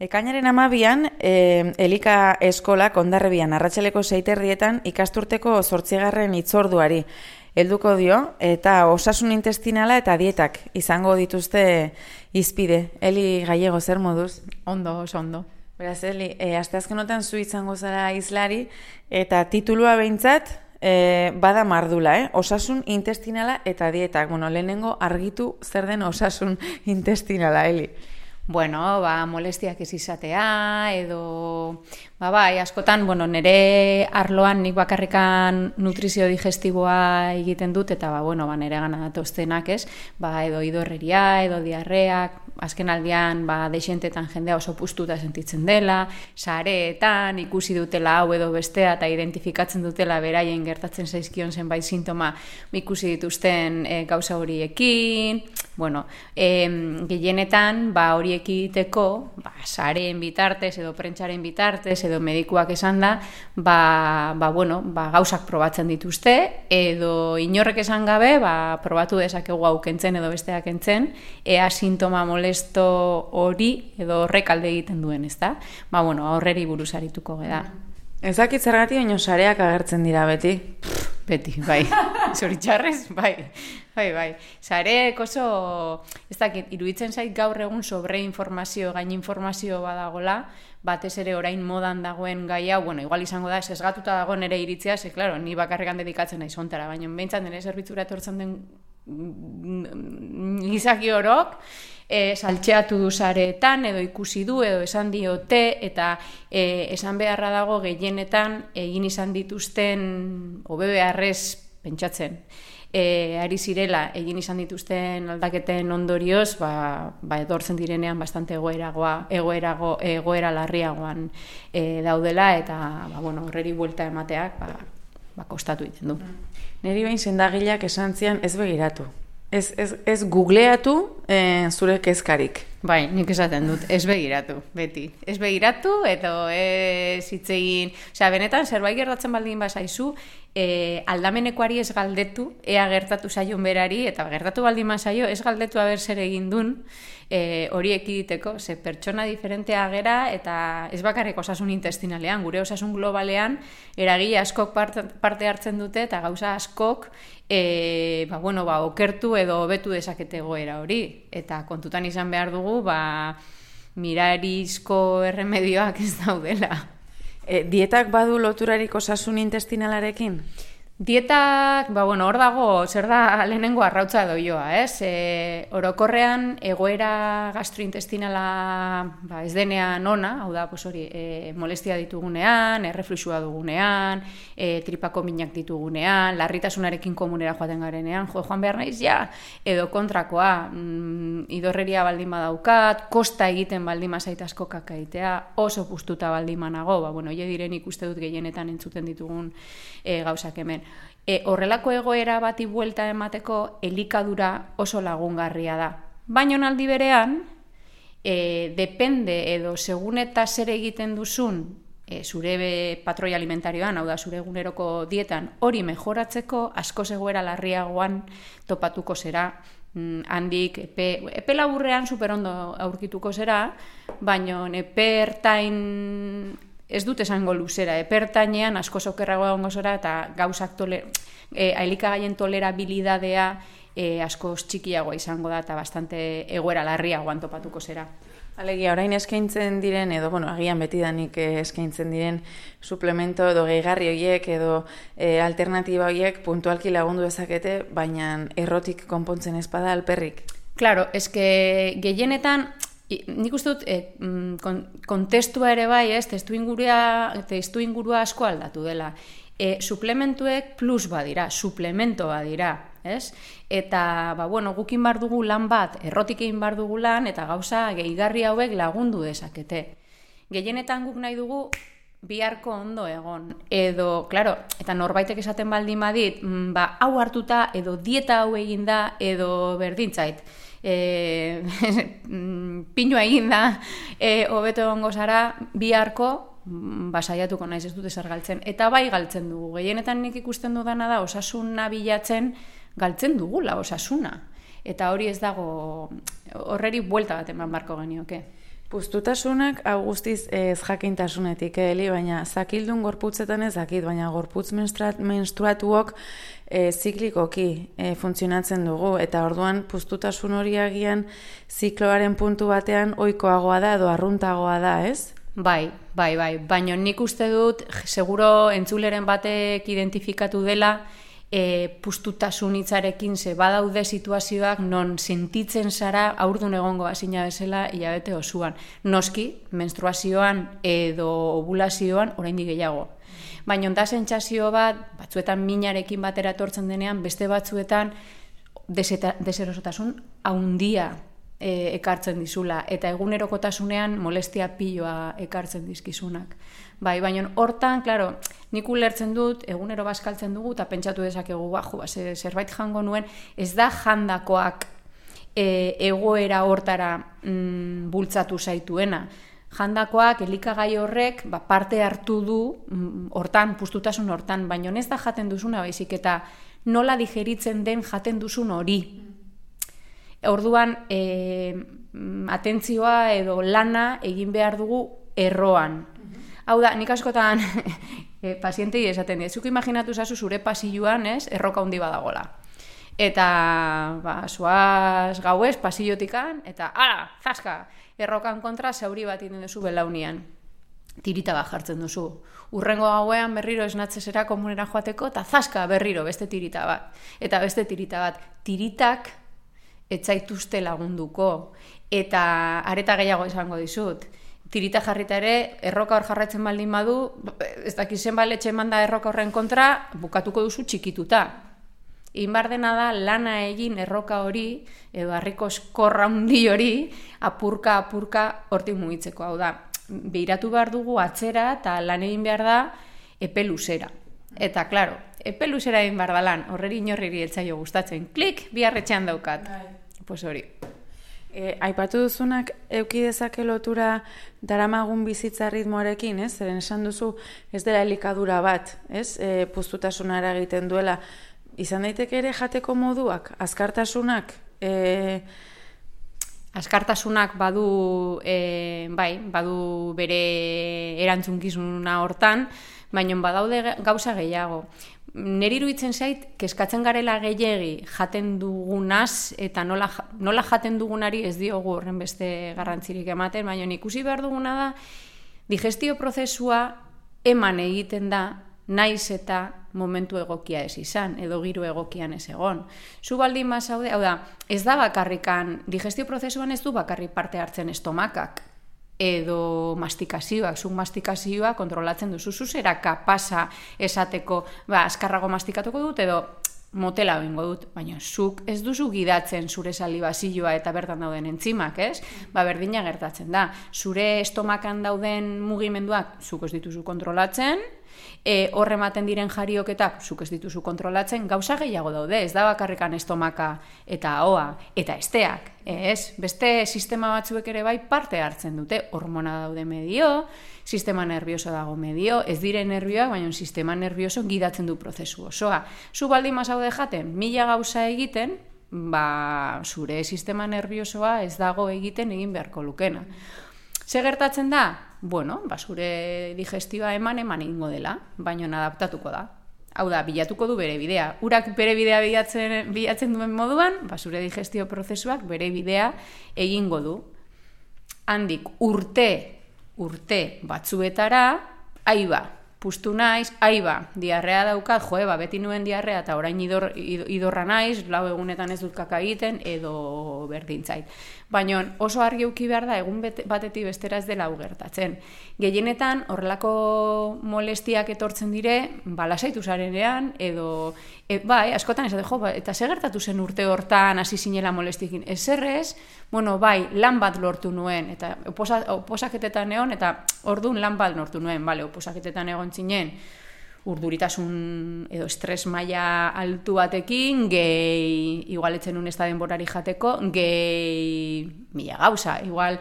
Ekainaren 12an, Elika eskolak Hondarribian arratsaleko 6:00 ikasturteko 8. hitzorduari helduko dio, eta osasun intestinala eta dietak izango dituzte hizpide. Eli Gallego, zer moduz? Ondo, oso ondo. Beraz, Eli, asteazkenotan zu izango zara hizlari, eta titulua behintzat bada mardula, osasun intestinala eta dietak. Bueno, lehenengo argitu zer den osasun intestinala, Eli. Bueno, molestiak ez izatea, edo, bai, askotan, nire arloan nik bakarrikan nutrizio digestiboa egiten dut, eta, nire gana datoztenak, edo idorreria, edo diarreak, azken aldian, deixentetan jendea oso puztuta sentitzen dela, sareetan, ikusi dutela hau edo bestea, eta identifikatzen dutela beraien gertatzen zaizkion zenbait sintoma ikusi dituzten gauza horiekin, gehienetan, hori ekiteko, sareen bitartez, edo prentsaren bitartez, edo medikuak esan da, gauzak probatzen dituzte, edo inorrek esan gabe, probatu dezakegu hau kentzen edo besteak kentzen, ea sintoma molesto hori edo horrek alde egiten duen, ezta? Horreri buruz arituko geda. Ez dakit zergatik, baina sareak agertzen dira beti. Beti, bai. Zoritxarrez, bai. Sareek oso, ez dakit, iruditzen zait gaur egun sobreinformazio, gaininformazio badagola, batez ere orain modan dagoen gai hau, igual izango da, sesgatuta dagoen ere iritzia, klaro, ni bakarrekan dedikatzen naiz hontara, baina behintzat nire zerbitzura etortzen den gizaki orok, saltxeatu du sareetan, edo ikusi du, edo esan diote, eta esan beharra dago gehienetan egin izan dituzten, hobe beharrez pentsatzen, ari zirela egin izan dituzten aldaketen ondorioz, etortzen direnean bastante egoera larriagoan daudela, eta horreri buelta emateak kostatu egiten du. Neri behin sendagileak esan zian ez begiratu. Ez googleatu zure kezkarik. Bai, nik esaten dut, ez begiratu, beti. Ez begiratu, edo ez hitzegin... benetan, zerbait gertatzen baldin bazaizu, aldamenekoari ez galdetu, ea gertatu zaion berari, eta gertatu baldin bazaio, ez galdetu aber zer egin dun, hori ekiditeko, ze pertsona diferentea gera, eta ez bakarrik osasun intestinalean, gure osasun globalean, eragile askok parte hartzen dute, eta gauza askok, okertu edo hobetu dezakete egoera hori, eta kontutan izan behar dugu, mirarizko erremedioak ez daudela. Dietak badu loturarik osasun intestinalarekin? Dietak, hor dago, zer da lehenengo arrautza doioa, orokorrean egoera gastrointestinala ez denean ona, hau da, molestia ditugunean, errefluxua dugunean, tripako minak ditugunean, larritasunarekin komunera joaten garenean, joan behar naiz, edo kontrakoa, idorreria baldin badaukat, kosta egiten baldin mazait asko kakaitea, oso puztuta baldin manago, hile diren ikuste dut gehienetan entzuten ditugun gauzak hemen. Horrelako egoera bati buelta emateko elikadura oso lagungarria da. Baina aldi berean, depende edo segun eta zer egiten duzun zure patroi alimentarioan, hau da zure eguneroko dietan, hori mejoratzeko askoz egoera larriagoan topatuko zera, handik epe laburrean superondo aurkituko zera, baina epe ertain ez dut esango luzera, epertainean asko okerragoa egongo zora, eta gauzak elikagaien tolerabilidadea asko txikiagoa izango da, eta bastante egoera larriagoan topatuko zera. Alegia, orain eskaintzen diren, edo, agian betidanik eskaintzen diren suplemento edo gehigarri horiek edo alternatiba horiek puntualki lagundu dezakete, baina errotik konpontzen ez bada alperrik. Claro, eske gehienetan, nik uste dut, kontestua ere bai, testu ingurua asko aldatu dela. Suplementuek plus badira, suplemento badira, eta, gukin bar dugu lan bat, errotik egin bar dugu lan, eta gauza gehigarri hauek lagundu dezakete. Gehienetan guk nahi dugu biharko ondo egon, edo, klaro, eta norbaitek esaten baldin badit, hau hartuta, edo dieta hau eginda, edo berdintzait, pinua eginda, hobeto egongo zara, biharko, saiatuko naiz ez dute zer galtzen. Eta bai galtzen dugu. Gehienetan nik ikusten dudana da osasuna bilatzen galtzen dugula osasuna. Eta hori ez dago, horreri buelta bat eman barko genioke. Puztutasunak hau guztiz ez jakintasunetik, Eli, baina zakildun gorputzetan ez dakit, baina gorputz menstruatuok ziklikoki funtzionatzen dugu, eta orduan puztutasun hori agian zikloaren puntu batean ohikoagoa da edo arruntagoa da, ez? Bai, baina nik uste dut, seguro entzuleren batek identifikatu dela, puztutasun hitzarekin ze badaude situazioak non sentitzen zara haurdun egongo bazina bezala hilabete osoan. Noski, menstruazioan edo ovulazioan oraindik gehiago. Baina da sentsazio batzuetan minarekin batera etortzen denean, beste batzuetan deserosotasun handia ekartzen dizula, eta egunerokotasunean molestia piloa ekartzen dizkizunak. Bai, baina hortan, klaro, nik ulertzen dut, egunero bazkaltzen dugu, eta pentsatu dezakegu, zerbait jango nuen, ez da jandakoak egoera hortara bultzatu zaituena. Jandakoak, elikagai horrek, parte hartu du hortan, puztutasun hortan, baina ez da jaten duzuna, baizik eta nola digeritzen den jaten duzun hori. Orduan, atentzioa edo lana egin behar dugu erroan. Hau da, nik askotan pazientei esaten dira, zuk imaginatu zazu zure pasilloan, erroka handi badagola. Eta, zoaz gauez, pasillotikan, eta, zaska, errokan kontra zauri bat egiten duzu belaunian. Tirita bat jartzen duzu. Urrengo gauean berriro esnatzezera komunera joateko, eta zaska berriro beste tirita bat. Eta beste tirita bat. Tiritak etzaituzte lagunduko, eta areta gehiago izango dizut. Tirita jarrita ere, erroka hor jarraitzen baldin badu, ez dakizen baletxe manda erroka horren kontra, bukatuko duzu txikituta. Inbar dena da, lana egin erroka hori, edo harriko eskorra handi hori, apurka hortik mugitzeko. Hau da, behiratu behar dugu atzera, eta lan egin behar da epe luzera. Eta, klaro, epe luzera egin behar da lan, horreri inorriri etzaio gustatzen. Klik, biharretxean daukat. Pues hori. Aipatu duzunak euki dezake lotura daramagun bizitza ritmoarekin, ez? Zeren esan duzu ez dela elikadura bat, ez? Puztutasuna eragiten duela. Izan daiteke ere jateko moduak, azkartasunak? Azkartasunak badu bere erantzunkizuna hortan, baina badaude gauza gehiago. Neri iruditzen zait, kezkatzen garela gehiegi jaten dugunaz, eta nola jaten dugunari ez diogu horren beste garrantzirik ematen, baina ikusi behar duguna da, digestio prozesua eman egiten da, naiz eta momentu egokia ez izan, edo giro egokian ez egon. Zu baldin bazaude, hau da, ez da bakarrikan, digestio prozesuan ez du bakarrik parte hartzen estomakak, edo mastikazioak, zuk mastikazioa kontrolatzen duzu, zuzera kapasa esateko, azkarrago mastikatuko dut, edo motela egingo dut, baina zuk ez duzu gidatzen zure salibazioa eta bertan dauden entzimak, ez? Berdina gertatzen da. Zure estomakan dauden mugimenduak zuk ez dituzu kontrolatzen, horre ematen diren jarioketak zuk ez dituzu kontrolatzen, gauza gehiago daude, ez da bakarrikan estomaka eta ahoa, eta esteak, ez? Beste sistema batzuek ere bai parte hartzen dute, hormona daude medio, sistema nervioso dago medio, ez dire nervioak, baina sistema nervioso gidatzen du prozesu osoa. Zu baldin mazaude jaten, 1000 gauza egiten, zure sistema nerviosoa ez dago egiten egin beharko lukena. Ze gertatzen da? Bueno, zure digestioa eman egingo dela, baina adaptatuko da. Hau da, bilatuko du bere bidea. Urak bere bidea bilatzen duen moduan, zure digestio prozesuak bere bidea egingo du. Handik urte batzuetara, puztu naiz, diarrea daukat, beti nuen diarrea eta orain idorra naiz, 4 egunetan ez dut kaka egiten, edo berdintzait. Baina oso argi eduki behar da, egun batetik bestera ez dela hau gertatzen. Gehienetan horrelako molestiak etortzen dire, lasaitu zarenean, edo, askotan ez da, eta ze gertatu zen urte hortan hasi zinela molestiekin? Ezerrez, lan bat lortu nuen, eta oposaketetan egon, eta orduan lan bat lortu nuen, oposaketetan egon zinen, urduritasun edo estres maila altu batekin, igual etzen un ez da denborari jateko, 1000 gauza, igual,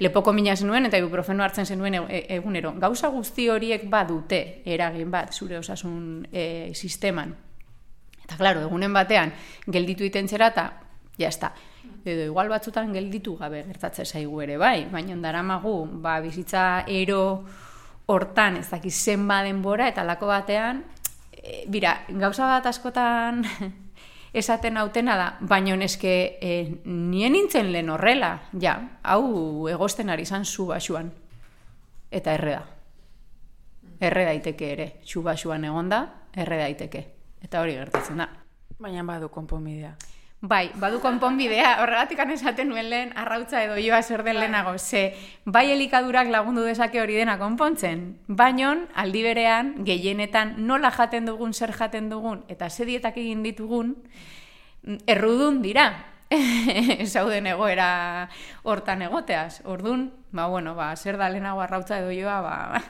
lepoko mina zenuen eta ibuprofeno hartzen zenuen egunero. Gauza guzti horiek badute eragin bat zure osasun sisteman. Eta, klaro, egunen batean gelditu iten zera eta, jazta, edo igual batzutan gelditu gabe gertatzen zaigu ere, bai, baina daramagu, bizitza ero hortan, ez dakiz zenba denbora, eta lako batean, gauza bat askotan esaten hautena da, baina neske nien nintzen lehen horrela, hau egosten ari zan zu basuan, eta erre da. Erre daiteke ere, zu basuan egonda, erre daiteke, eta hori gertatzen da. Baina badu konponbidea. Bai, badu konponbidea, horregatik esaten nuen lehen arrautza edo joa zer den lehenago, ze bai elikadurak lagundu dezake hori dena konpontzen, baina aldi berean, gehienetan nola jaten dugun, zer jaten dugun, eta ze dietak egin ditugun, errudun dira, zauden egoera hortan egoteaz. Ordun, zer da lehenago arrautza edo joa,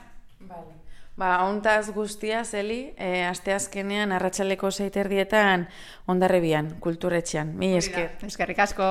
Hontaz guztia, Eli, asteazkenean arratsaleko 6:30 Hondarribian, kulturetxean. Mila esker. Eskerrik asko.